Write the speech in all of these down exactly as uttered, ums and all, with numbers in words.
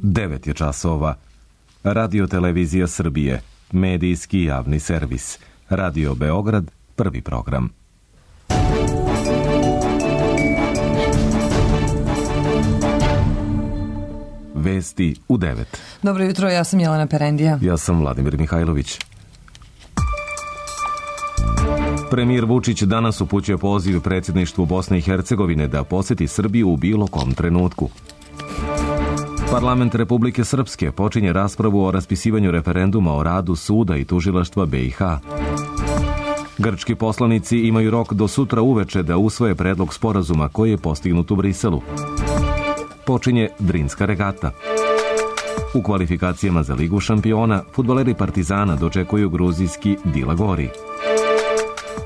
devet je časova. Radio Televizija Srbije, medijski javni servis. Radio Beograd, prvi program. Vesti u devet. Dobro jutro, ja sam Jelena Perendija. Ja sam Vladimir Mihajlović. Premijer Vučić danas upućuje poziv predsjedništvu Bosne i Hercegovine da posjeti Srbiju u bilo kom trenutku. Parlament Republike Srpske počinje raspravu o raspisivanju referenduma o radu suda i tužilaštva B i H. Grčki poslanici imaju rok do sutra uveče da usvoje predlog sporazuma koji je postignut u Briselu. Počinje Drinska regata. U kvalifikacijama za Ligu šampiona fudbaleri Partizana dočekuju gruzijski Dila Gori.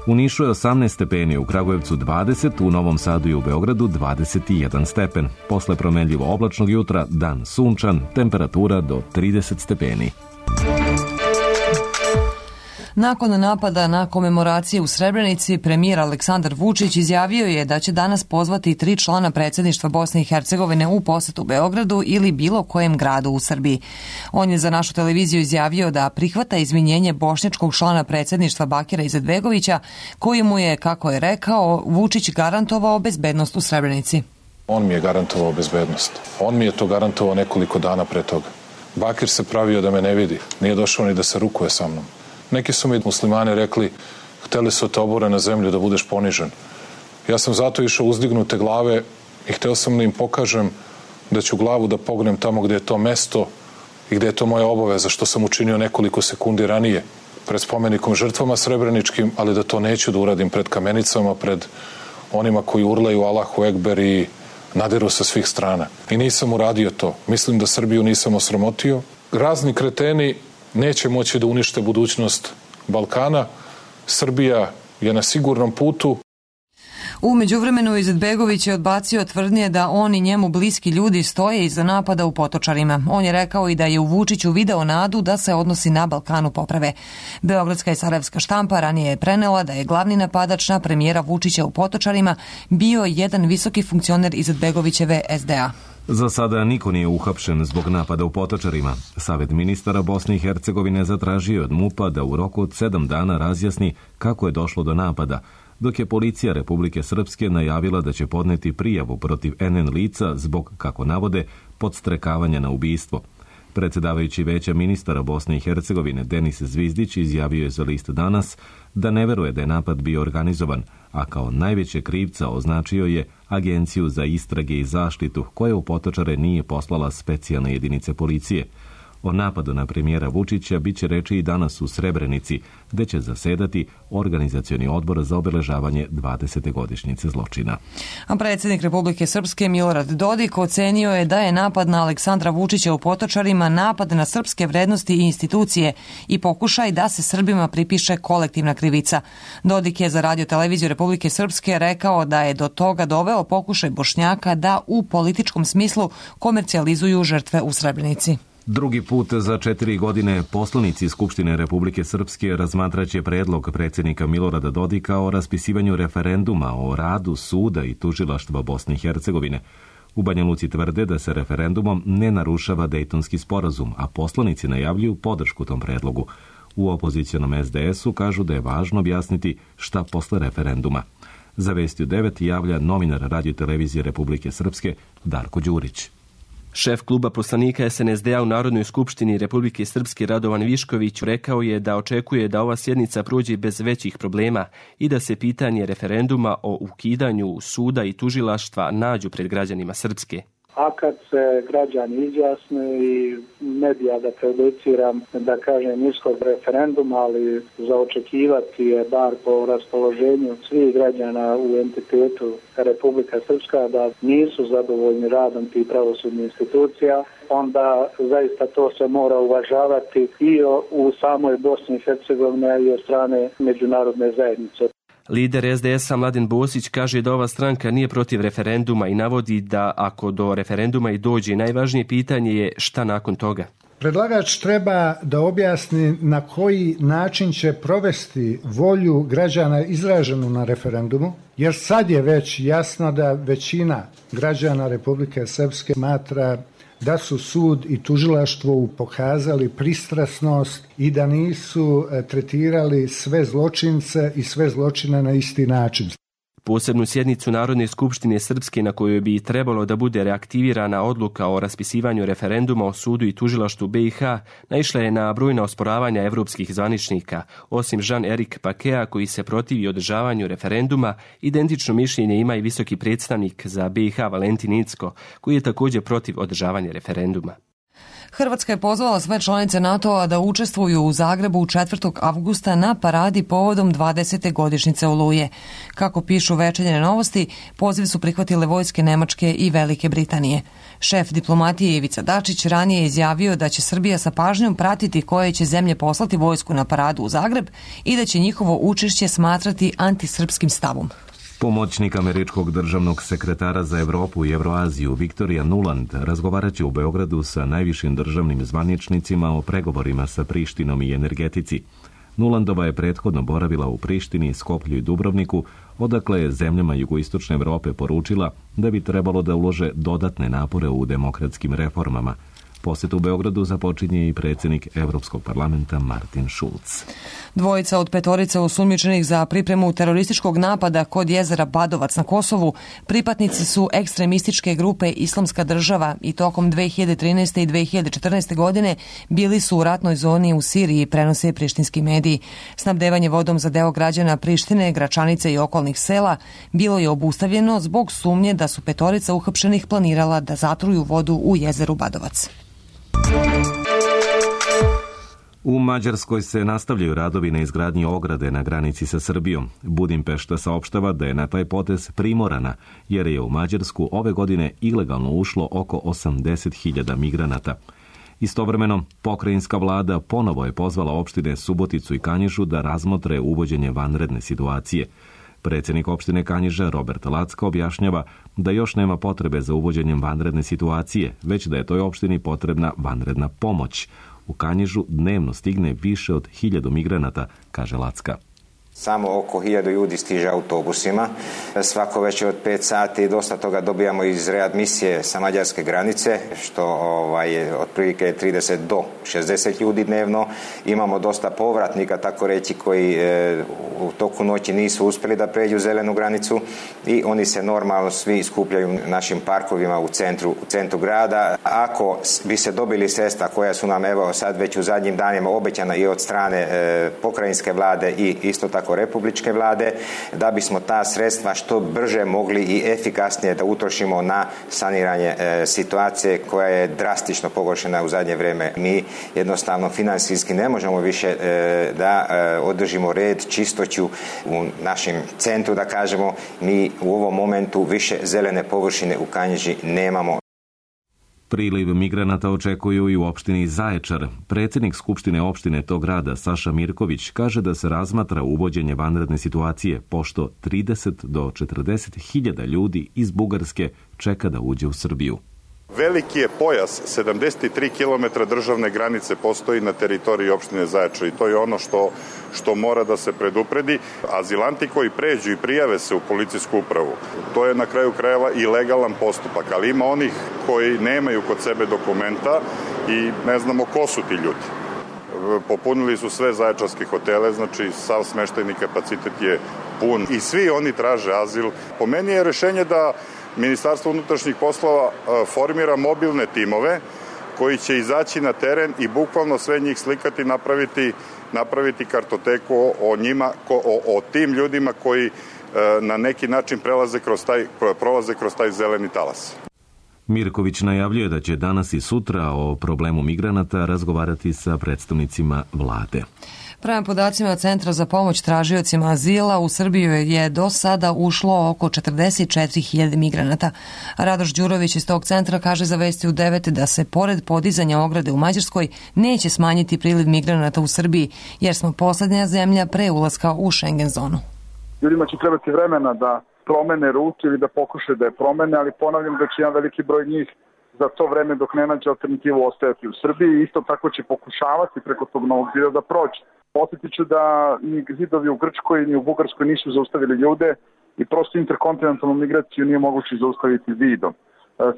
U Nišu je osamnaest stepeni, u Kragujevcu dvadeset, u Novom Sadu i u Beogradu dvadeset jedan stepen. Posle promenljivo oblačnog jutra, dan sunčan, temperatura do trideset stepeni. Nakon napada na komemoracije u Srebrenici, premijer Aleksandar Vučić izjavio je da će danas pozvati tri člana predsjedništva Bosne i Hercegovine u posetu Beogradu ili bilo kojem gradu u Srbiji. On je za našu televiziju izjavio da prihvata izvinjenje bošnjačkog člana predsjedništva Bakira Izetbegovića, koji mu je, kako je rekao, Vučić garantovao bezbednost u Srebrenici. On mi je garantovao bezbednost. On mi je to garantovao nekoliko dana pre toga. Bakir se pravio da me ne vidi. Nije došao ni da se rukuje sa mnom. Neki su mi muslimani rekli, hteli su te obore na zemlju da budeš ponižen. Ja sam zato išao uzdignute glave i hteo sam da im pokažem da ću glavu da pognem tamo gde je to mesto i gde je to moja obaveza, što sam učinio nekoliko sekundi ranije pred spomenikom žrtvama srebreničkim, ali da to neću da uradim pred kamenicama, pred onima koji urlaju Allahu Ekber i nadiru sa svih strana. I nisam uradio to. Mislim da Srbiju nisam osramotio. Razni kreteni neće moći da unište budućnost Balkana. Srbija je na sigurnom putu. U međuvremenu Izetbegović je odbacio tvrdnje da on i njemu bliski ljudi stoje iza napada u Potočarima. On je rekao i da je u Vučiću video nadu da se odnosi na Balkanu poprave. Beogradska i sarajevska štampa ranije je prenela da je glavni napadač na premijera Vučića u Potočarima bio jedan visoki funkcioner Izetbegovićeve es de a. Za sada niko nije uhapšen zbog napada u Potočarima. Savet ministara Bosne i Hercegovine zatražio od MUP-a da u roku od sedam dana razjasni kako je došlo do napada, dok je policija Republike Srpske najavila da će podneti prijavu protiv en en lica zbog, kako navode, podstrekavanja na ubistvo. Predsjedavajući Veća ministara Bosne i Hercegovine Denis Zvizdić izjavio je za list Danas da ne veruje da je napad bio organizovan, a kao najveće krivca označio je Agenciju za istrage i zaštitu, koja u Potočare nije poslala specijalne jedinice policije. O napadu na premijera Vučića bit će reči i danas u Srebrenici, gde će zasedati organizacioni odbor za obeležavanje dvadesete godišnjice zločina. A predsjednik Republike Srpske Milorad Dodik ocenio je da je napad na Aleksandra Vučića u Potočarima napad na srpske vrednosti i institucije i pokušaj da se Srbima pripiše kolektivna krivica. Dodik je za Radio Televiziju Republike Srpske rekao da je do toga doveo pokušaj Bošnjaka da u političkom smislu komercijalizuju žrtve u Srebrenici. Drugi put za četiri godine poslanici Skupštine Republike Srpske razmatraće predlog predsjednika Milorada Dodika o raspisivanju referenduma o radu suda i tužilaštva Bosne i Hercegovine. U Banja Luci tvrde da se referendumom ne narušava Dejtonski sporazum, a poslanici najavljuju podršku tom predlogu. U opozicionom es de esu kažu da je važno objasniti šta posle referenduma. Za Vesti u devet javlja novinar Radio Televizije Republike Srpske Darko Đurić. Šef kluba poslanika es en es de a u Narodnoj skupštini Republike Srpske Radovan Višković rekao je da očekuje da ova sjednica prođe bez većih problema i da se pitanje referenduma o ukidanju suda i tužilaštva nađu pred građanima Srpske. A kad se građani izjasne i medija da prejudiciram, da kažem, ishod referenduma, ali za očekivati je bar po raspoloženju svih građana u entitetu Republika Srpska da nisu zadovoljni radom tih pravosudnih institucija, onda zaista to se mora uvažavati i u samoj Bosni i Hercegovini i od strane međunarodne zajednice. Lider es de esa Mladen Bosić kaže da ova stranka nije protiv referenduma i navodi da ako do referenduma i dođe, najvažnije pitanje je šta nakon toga. Predlagač treba da objasni na koji način će provesti volju građana izraženu na referendumu, jer sad je već jasno da većina građana Republike Srpske smatra da su sud i tužilaštvo pokazali pristrasnost i da nisu tretirali sve zločince i sve zločine na isti način. Posebnu sjednicu Narodne skupštine Srpske na kojoj bi trebalo da bude reaktivirana odluka o raspisivanju referenduma o sudu i tužilaštvu B i H naišla je na brojna osporavanja evropskih zvaničnika. Osim Jean-Éric Paqueta koji se protivi održavanju referenduma, identično mišljenje ima i visoki predstavnik za B i H Valentin Incko, koji je također protiv održavanja referenduma. Hrvatska je pozvala sve članice NATO-a da učestvuju u Zagrebu četvrtog avgusta na paradi povodom dvadesete godišnjice Oluje. Kako pišu Večernje novosti, poziv su prihvatile vojske Nemačke i Velike Britanije. Šef diplomatije Ivica Dačić ranije je izjavio da će Srbija sa pažnjom pratiti koje će zemlje poslati vojsku na paradu u Zagreb i da će njihovo učešće smatrati antisrpskim stavom. Pomoćnik američkog državnog sekretara za Evropu i Evroaziju Viktorija Nuland razgovarat će u Beogradu sa najvišim državnim zvaničnicima o pregovorima sa Prištinom i energetici. Nulandova je prethodno boravila u Prištini, Skoplju i Dubrovniku, odakle je zemljama jugoistočne Evrope poručila da bi trebalo da ulože dodatne napore u demokratskim reformama. Posjet u Beogradu započinje i predsjednik Evropskog parlamenta Martin Schulz. Dvojica od petorice osumnjičenih za pripremu terorističkog napada kod jezera Badovac na Kosovu pripadnici su ekstremističke grupe Islamska država i tokom dve hiljade trinaeste. i dve hiljade četrnaeste. godine bili su u ratnoj zoni u Siriji, prenose prištinski mediji. Snabdevanje vodom za deo građana Prištine, Gračanice i okolnih sela bilo je obustavljeno zbog sumnje da su petorica uhapšenih planirala da zatruju vodu u jezeru Badovac. U Mađarskoj se nastavljaju radovi na izgradnji ograde na granici sa Srbijom. Budimpešta saopštava da je na taj potez primorana, jer je u Mađarsku ove godine ilegalno ušlo oko osamdeset hiljada migranata. Istovremeno, pokrajinska vlada ponovo je pozvala opštine Suboticu i Kanjižu da razmotre uvođenje vanredne situacije. Predsjednik opštine Kanjiža Robert Lacka objašnjava da još nema potrebe za uvođenjem vanredne situacije, već da je toj opštini potrebna vanredna pomoć. U Kanjižu dnevno stigne više od hiljadu migranata, kaže Lacka. Samo oko hiljadu ljudi stiže autobusima. Svako večer od pet sati dosta toga dobijamo iz readmisije sa mađarske granice, što ovaj, otprilike trideset do šezdeset ljudi dnevno. Imamo dosta povratnika, tako reći, koji e, u toku noći nisu uspjeli da pređu zelenu granicu i oni se normalno svi skupljaju u našim parkovima u centru, u centru grada. Ako bi se dobili sredstva koja su nam evo sad već u zadnjim danima obećana i od strane e, pokrajinske vlade i isto tako republičke vlade, da bismo ta sredstva što brže mogli i efikasnije da utrošimo na saniranje e, situacije koja je drastično pogoršena u zadnje vrijeme. Mi jednostavno financijski ne možemo više e, da e, održimo red, čistoću u našem centru, da kažemo. Mi u ovom momentu više zelene površine u Kanjiži nemamo. Priliv migranata očekuju i u opštini Zaječar. Predsjednik Skupštine opštine tog grada, Saša Mirković, kaže da se razmatra uvođenje vanredne situacije, pošto trideset do četrdeset hiljada ljudi iz Bugarske čeka da uđe u Srbiju. Veliki je pojas, sedamdeset tri kilometra državne granice postoji na teritoriji opštine Zaječar i to je ono što, što mora da se predupredi. Azilanti koji pređu i prijave se u policijsku upravu, to je na kraju krajeva i legalan postupak, ali ima onih koji nemaju kod sebe dokumenta i ne znamo ko su ti ljudi. Popunili su sve zaječarske hotele, znači sav smeštajni kapacitet je pun i svi oni traže azil. Po meni je rešenje da Ministarstvo unutrašnjih poslova formira mobilne timove koji će izaći na teren i bukvalno sve njih slikati, napraviti, napraviti kartoteku o njima, o, o tim ljudima koji na neki način prelaze kroz taj, prolaze kroz taj zeleni talas. Mirković najavljuje da će danas i sutra o problemu migranata razgovarati sa predstavnicima vlade. Prema podacima Centra za pomoć tražiocima azila, u Srbiju je do sada ušlo oko četrdeset četiri hiljade migranata. Radoš Đurović iz tog centra kaže za Vesti u devet da se pored podizanja ograde u Mađarskoj neće smanjiti priliv migranata u Srbiji, jer smo poslednja zemlja pre ulaska u Schengen zonu. Ljudima će trebati vremena da promene rutu ili da pokušaju da je promene, ali ponavljam da će jedan veliki broj njih za to vreme dok ne nađe alternativu ostajati u Srbiji. Isto tako će pokušavati preko tog Novog zida da prođe. Posjetit ću da ni zidovi u Grčkoj ni u Bugarskoj nisu zaustavili ljude i prosto interkontinentalnu migraciju nije moguće zaustaviti zidom.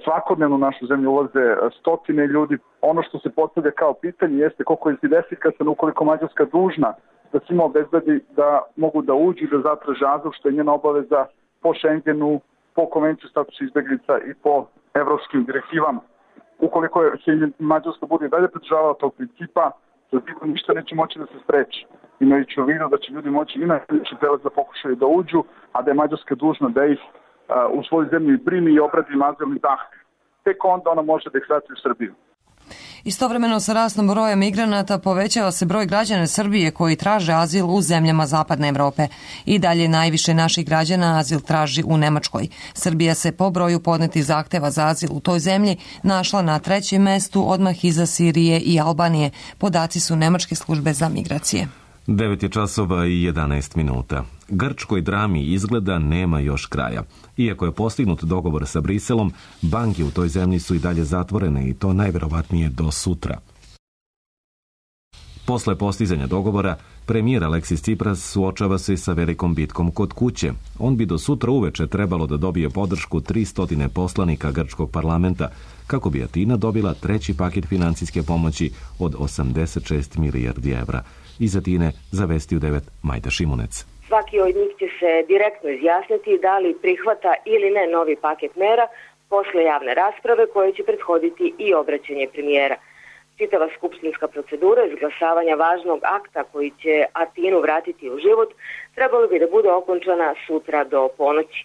Svakodnevno u našu zemlju ulaze stotine ljudi. Ono što se postavlja kao pitanje jeste koliko je efikasan ukoliko Mađarska dužna da svima obezbedi da mogu da uđu i da zatraže azil, što je njena obaveza po Schengenu, po konvenciju statusa izbeglica i po evropskim direktivama. Ukoliko se Mađarska bude dalje pridržavala tog principa, za sigurno ništa neće moći da se spreči. Imajući u vidu da će ljudi moći i na sljedeći prelaz da pokušaju da uđu, a da je Mađarska dužna da ih uh, u svoju zemlju primi i obradi azilni zahtev. Tek onda ona može da ih vrati u Srbiju. Istovremeno sa rastom broja migranata povećava se broj građana Srbije koji traže azil u zemljama Zapadne Evrope. I dalje najviše naših građana azil traži u Nemačkoj. Srbija se po broju podnetih zahteva za azil u toj zemlji našla na trećem mestu odmah iza Sirije i Albanije. Podaci su Nemačke službe za migracije. devet je časova i jedanaest minuta. Grčkoj drami izgleda nema još kraja. Iako je postignut dogovor sa Briselom, banke u toj zemlji su i dalje zatvorene i to najverovatnije do sutra. Posle postizanja dogovora, premijer Aleksis Tsipras suočava se sa velikom bitkom kod kuće. On bi do sutra uveče trebalo da dobije podršku tristo poslanika grčkog parlamenta, kako bi Atina dobila treći paket financijske pomoći od osamdeset šest milijardi evra. Iz Atine za Vesti u devet Majda Šimunec. Svaki od njih će se direktno izjasniti da li prihvata ili ne novi paket mera posle javne rasprave koje će prethoditi i obraćanje premijera. Čitava skupštinska procedura izglasavanja važnog akta koji će Atinu vratiti u život trebalo bi da bude okončana sutra do ponoći.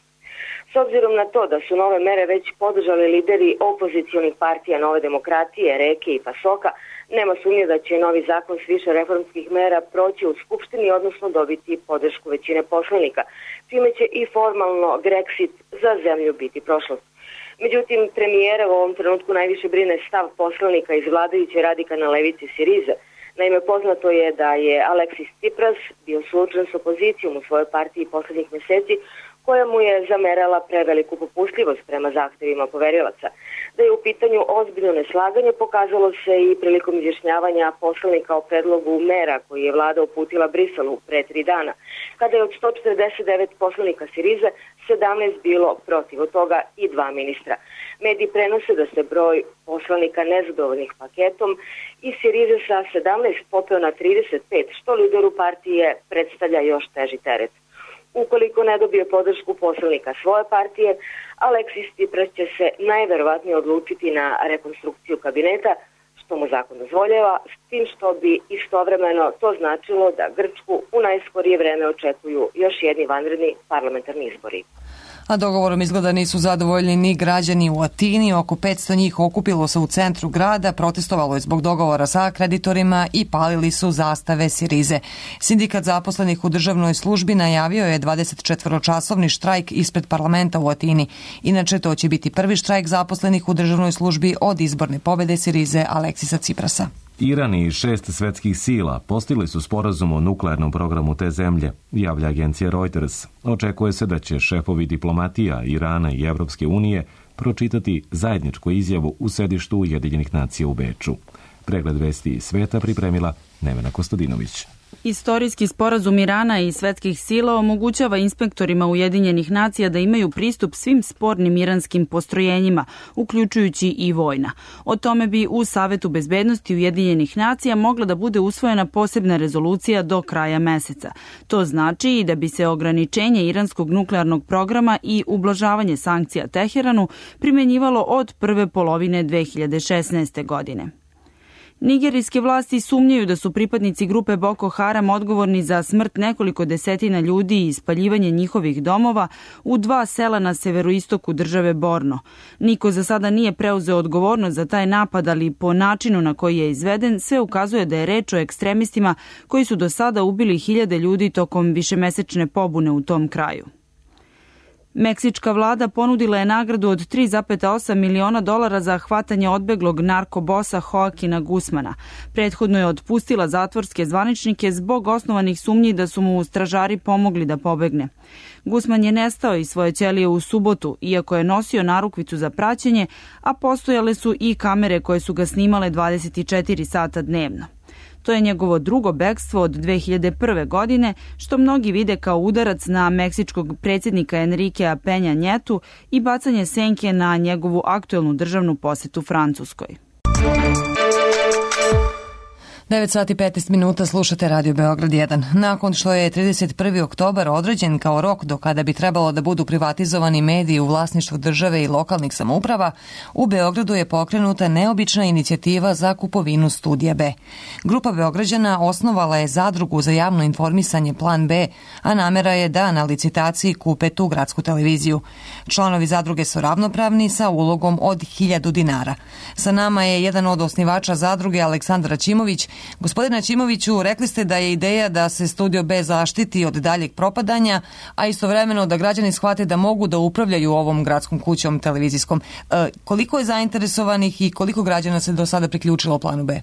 S obzirom na to da su nove mere već podržali lideri opozicionih partija Nove demokratije, Reke i Pasoka, nema sumnje da će novi zakon s više reformskih mera proći u Skupštini, odnosno dobiti podršku većine poslanika, čime će i formalno Grexit za zemlju biti prošlost. Međutim, premijera u ovom trenutku najviše brine stav poslanika iz vladajuće radikalne levice Sirize. Naime, poznato je da je Aleksis Tsipras bio suočen s opozicijom u svojoj partiji poslednjih meseci, koja mu je zamerala preveliku popustljivost prema zahtevima poverilaca. Da je u pitanju ozbiljno neslaganje pokazalo se i prilikom izjašnjavanja poslanika o predlogu mera koji je vlada uputila Briselu pre tri dana, kada je od sto četrdeset devet poslanika Sirize sedamnaest bilo protiv, od toga i dva ministra. Mediji prenose da se broj poslanika nezadovoljnih paketom i Sirize sa sedamnaest popeo na trideset pet, što lideru partije predstavlja još teži teret. Ukoliko ne dobije podršku poslanika svoje partije, Aleksis Tsipras će se najverovatnije odlučiti na rekonstrukciju kabineta, što mu zakon dozvoljava, s tim što bi istovremeno to značilo da Grčku u najskorije vreme očekuju još jedni vanredni parlamentarni izbori. A dogovorom izgleda nisu zadovoljni ni građani u Atini. Oko petsto njih okupilo se u centru grada, protestovalo je zbog dogovora sa kreditorima i palili su zastave Sirize. Sindikat zaposlenih u državnoj službi najavio je dvadesetčetvoročasovni štrajk ispred parlamenta u Atini. Inače, to će biti prvi štrajk zaposlenih u državnoj službi od izborne pobede Sirize Aleksisa Tsiprasa. Iran i šest svetskih sila postigli su sporazum o nuklearnom programu te zemlje, javlja agencija Reuters. Očekuje se da će šefovi diplomatija Irana i Evropske unije pročitati zajedničku izjavu u sedištu Ujedinjenih nacija u Beču. Pregled vesti iz sveta pripremila Nevena Kostadinović. Istorijski sporazum Irana i svetskih sila omogućava inspektorima Ujedinjenih nacija da imaju pristup svim spornim iranskim postrojenjima, uključujući i vojna. O tome bi u Savetu bezbednosti Ujedinjenih nacija mogla da bude usvojena posebna rezolucija do kraja meseca. To znači i da bi se ograničenje iranskog nuklearnog programa i ublažavanje sankcija Teheranu primenjivalo od prve polovine dve hiljade šesnaeste. godine. Nigerijske vlasti sumnjaju da su pripadnici grupe Boko Haram odgovorni za smrt nekoliko desetina ljudi i spaljivanje njihovih domova u dva sela na severoistoku države Borno. Niko za sada nije preuzeo odgovornost za taj napad, ali po načinu na koji je izveden sve ukazuje da je reč o ekstremistima koji su do sada ubili hiljade ljudi tokom višemesečne pobune u tom kraju. Meksička vlada ponudila je nagradu od tri zarez osam miliona dolara za hvatanje odbeglog narkobosa Joaquina Guzmana. Prethodno je otpustila zatvorske zvaničnike zbog osnovanih sumnji da su mu stražari pomogli da pobegne. Guzman je nestao iz svoje ćelije u subotu, iako je nosio narukvicu za praćenje, a postojale su i kamere koje su ga snimale dvadeset četiri sata dnevno. To je njegovo drugo bekstvo od dve hiljade prve. godine, što mnogi vide kao udarac na meksičkog predsjednika Enrikea Penja Njetu i bacanje senke na njegovu aktuelnu državnu posetu Francuskoj. devet sati i petnaest minuta, slušate Radio Beograd jedan. Nakon što je trideset prvi oktobar određen kao rok do kada bi trebalo da budu privatizovani mediji u vlasništvu države i lokalnih samouprava, u Beogradu je pokrenuta neobična inicijativa za kupovinu Studija B. Grupa Beograđana osnovala je zadrugu za javno informisanje Plan B, a namera je da na licitaciji kupe tu gradsku televiziju. Članovi zadruge su ravnopravni sa ulogom od hiljadu dinara. Sa nama je jedan od osnivača zadruge, Aleksandar Aćimović. Gospodine Aćimoviću, rekli ste da je ideja da se Studio B zaštiti od daljeg propadanja, a istovremeno da građani shvate da mogu da upravljaju ovom gradskom kućom televizijskom. E, koliko je zainteresovanih i koliko građana se do sada priključilo Planu B? E,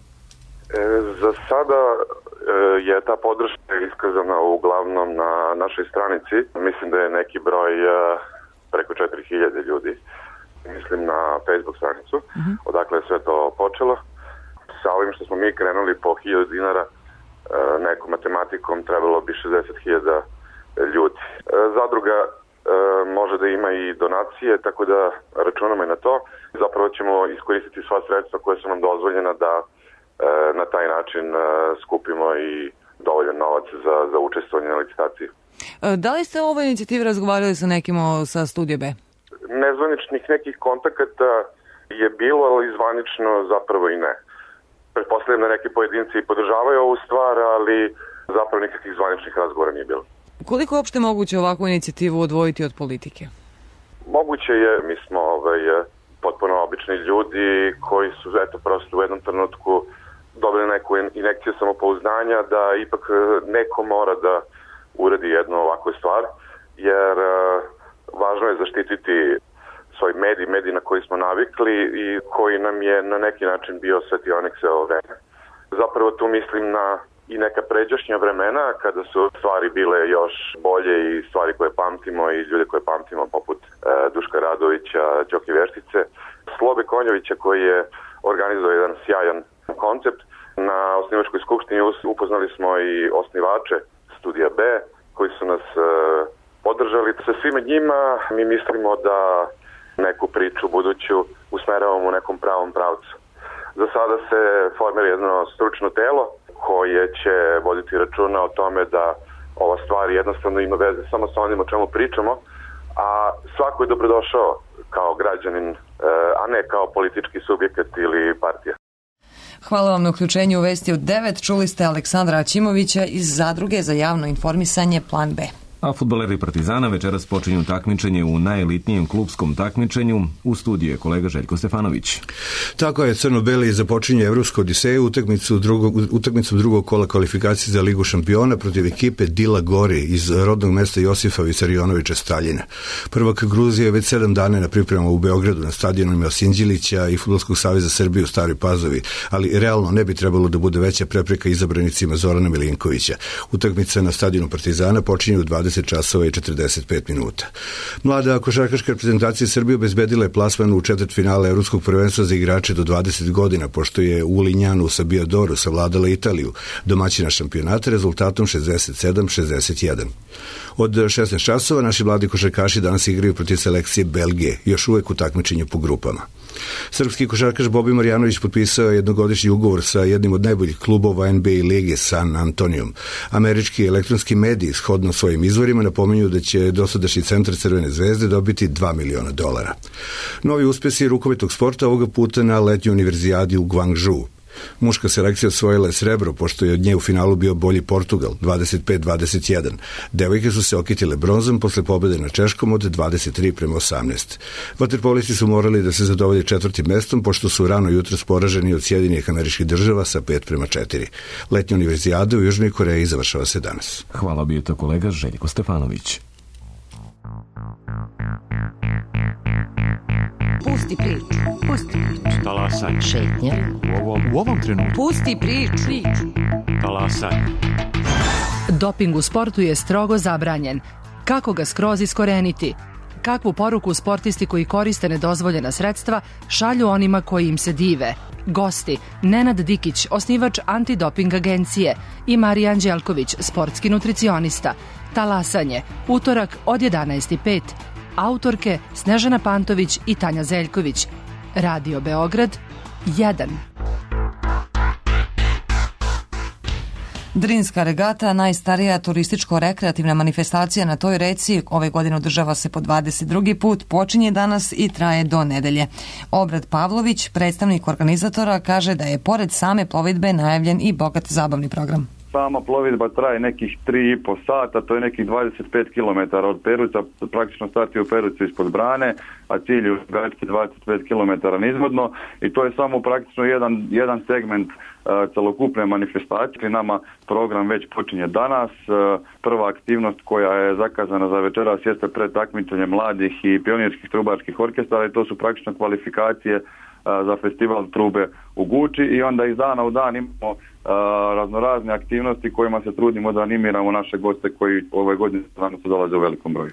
za sada e, je ta podrška iskazana uglavnom na našoj stranici. Mislim da je neki broj e, preko četiri hiljade ljudi. Mislim na Facebook stranicu, uh-huh. odakle je sve to počelo. Sa ovim što smo mi krenuli po hiljadu dinara, nekom matematikom trebalo bi šezdeset hiljada ljudi. Zadruga može da ima i donacije, tako da računamo i na to. Zapravo ćemo iskoristiti sva sredstva koje su nam dozvoljena da na taj način skupimo i dovoljan novac za, za učestvovanje na licitaciji. Da li ste o ovoj inicijativi razgovarali sa nekim sa Studio B? Nezvaničnih nekih kontakata je bilo, ali zvanično zapravo i ne. Pretpostavljam da neki pojedinci podržavaju ovu stvar, ali zapravo nikakvih zvaničnih razgovora nije bilo. Koliko je uopšte moguće ovakvu inicijativu odvojiti od politike? Moguće je, mi smo ovaj, potpuno obični ljudi koji su eto prosto u jednom trenutku dobili neku injekciju samopouzdanja da ipak neko mora da uradi jednu ovakvu stvar, jer važno je zaštititi svoj medij, medij na koji smo navikli i koji nam je na neki način bio svetionik sve ovo vreme. Zapravo tu mislim na i neka pređašnja vremena kada su stvari bile još bolje i stvari koje pamtimo i ljude koje pamtimo poput e, Duška Radovića, Đoke Veštice, Slobe Konjovića koji je organizovao jedan sjajan koncept. Na osnivačkoj skupštini upoznali smo i osnivače Studija B koji su nas e, podržali. Sa svima njima mi mislimo da neku priču buduću usmeravamo u nekom pravom pravcu. Za sada se formira jedno stručno telo koje će voditi računa o tome da ova stvar jednostavno ima veze samo sa onim o čemu pričamo, a svako je dobrodošao kao građanin, a ne kao politički subjekat ili partija. Hvala vam na uključenju u Vesti od devet. Čuli ste Aleksandra Aćimovića iz Zadruge za javno informisanje Plan B. A fudbaleri Partizana večeras počinju takmičenje u najelitnijem klupskom takmičenju. U studiju je kolega Željko Stefanović. Tako je, crno-beli započinje Evropsku odiseju, utakmicu drugog, utakmicu drugog kola kvalifikacije za Ligu šampiona protiv ekipe Dila Gori iz rodnog mesta Josifa Visarionovića Staljina. Prvak Gruzije je već sedam dana na pripremama u Beogradu na stadionima Osinđilića i Fudbalskog saveza Srbije u Staroj Pazovi, ali realno ne bi trebalo da bude veća prepreka izabranicima Zorana Milinkovića. Utakmica na stadionu Partizana počinje u dvadeset časova i četrdeset pet minuta. Mlada košarkaška reprezentacija Srbije obezbedila je plasman u četvrtfinale Evropskog prvenstva za igrače do dvadeset godina, pošto je u Linjanu sa Biodoru savladala Italiju, domaćina šampionata, rezultatom šezdeset sedam šezdeset jedan. Od šesnaest časova naši mladi košarkaši danas igraju protiv selekcije Belgije, još uvek u takmičenju po grupama. Srpski košarkaš Bobi Marjanović potpisao je jednogodišnji ugovor sa jednim od najboljih klubova N B A lige San Antonijom. Američki elektronski mediji, shodno svojim izvorima, napominju da će dosadašnji centar Crvene zvezde dobiti dva miliona dolara. Novi uspjesi rukometnog sporta ovoga puta na letnjoj univerzijadi u Guangzhou. Muška selekcija osvojila je srebro, pošto je od nje u finalu bio bolji Portugal, dvadeset pet dvadeset jedan. Devojke su se okitile bronzom posle pobjede na Češkom od dvadeset tri prema osamnaest. Vaterpolisti su morali da se zadovolje četvrtim mestom, pošto su rano jutros poraženi od Sjedinjenih Američkih Država sa pet prema četiri. Letnja univerzijada u Južnoj Koreji završava se danas. Hvala, bio to kolega Željko Stefanović. Pusti priču, pusti priču. Talasaj. Šetnja. U ovom, u ovom trenutku. Pusti priču. Talasaj. Doping u sportu je strogo zabranjen. Kako ga skroz iskoreniti? Kakvu poruku sportisti koji koriste nedozvoljena sredstva šalju onima koji im se dive? Gosti: Nenad Dikić, osnivač antidoping agencije, i Marija Anđelković, sportski nutricionista. Talasanje, utorak od jedanaest i pet. Autorke Snežana Pantović i Tanja Zeljković. Radio Beograd jedan. Drinska regata, najstarija turističko-rekreativna manifestacija na toj reci, ove godine održava se po dvadeset drugi put, počinje danas i traje do nedelje. Obrad Pavlović, predstavnik organizatora, kaže da je pored same plovidbe najavljen i bogat zabavni program. Sama plovidba traje nekih tri i po sata, to je nekih dvadeset pet kilometara od Peruca, praktično starti u Perucu ispod brane, a cilj je u Gački dvadeset pet kilometara nizvodno, i to je samo praktično jedan, jedan segment uh, celokupne manifestacije. Nama program već počinje danas. Uh, prva aktivnost koja je zakazana za večeras jeste pred takmičenje mladih i pionirskih trubačkih orkestara, i to su praktično kvalifikacije uh, za festival trube u Guči, i onda iz dana u dan imamo raznorazne aktivnosti kojima se trudimo da animiramo naše goste koji ove godine stvarno su dolaze u velikom broju.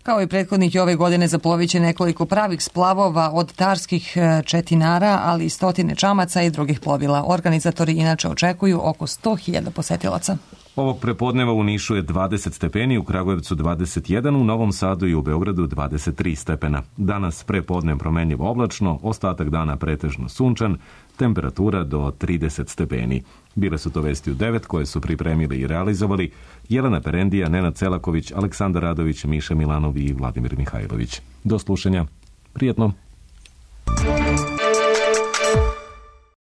Kao i prethodnih ove godine zaplovit će nekoliko pravih splavova od tarskih četinara, ali i stotine čamaca i drugih plovila. Organizatori inače očekuju oko sto hiljada posetilaca. Ovog prepodneva u Nišu je dvadeset stepeni, u Kragujevcu dvadeset jedan, u Novom Sadu i u Beogradu dvadeset tri stepena. Danas prepodne promenljivo oblačno, ostatak dana pretežno sunčan, temperatura do trideset stepeni. Bile su to vesti u devet koje su pripremili i realizovali Jelena Perendija, Nenad Celaković, Aleksandar Radović, Miša Milanov i Vladimir Mihajlović. Do slušanja. Prijetno.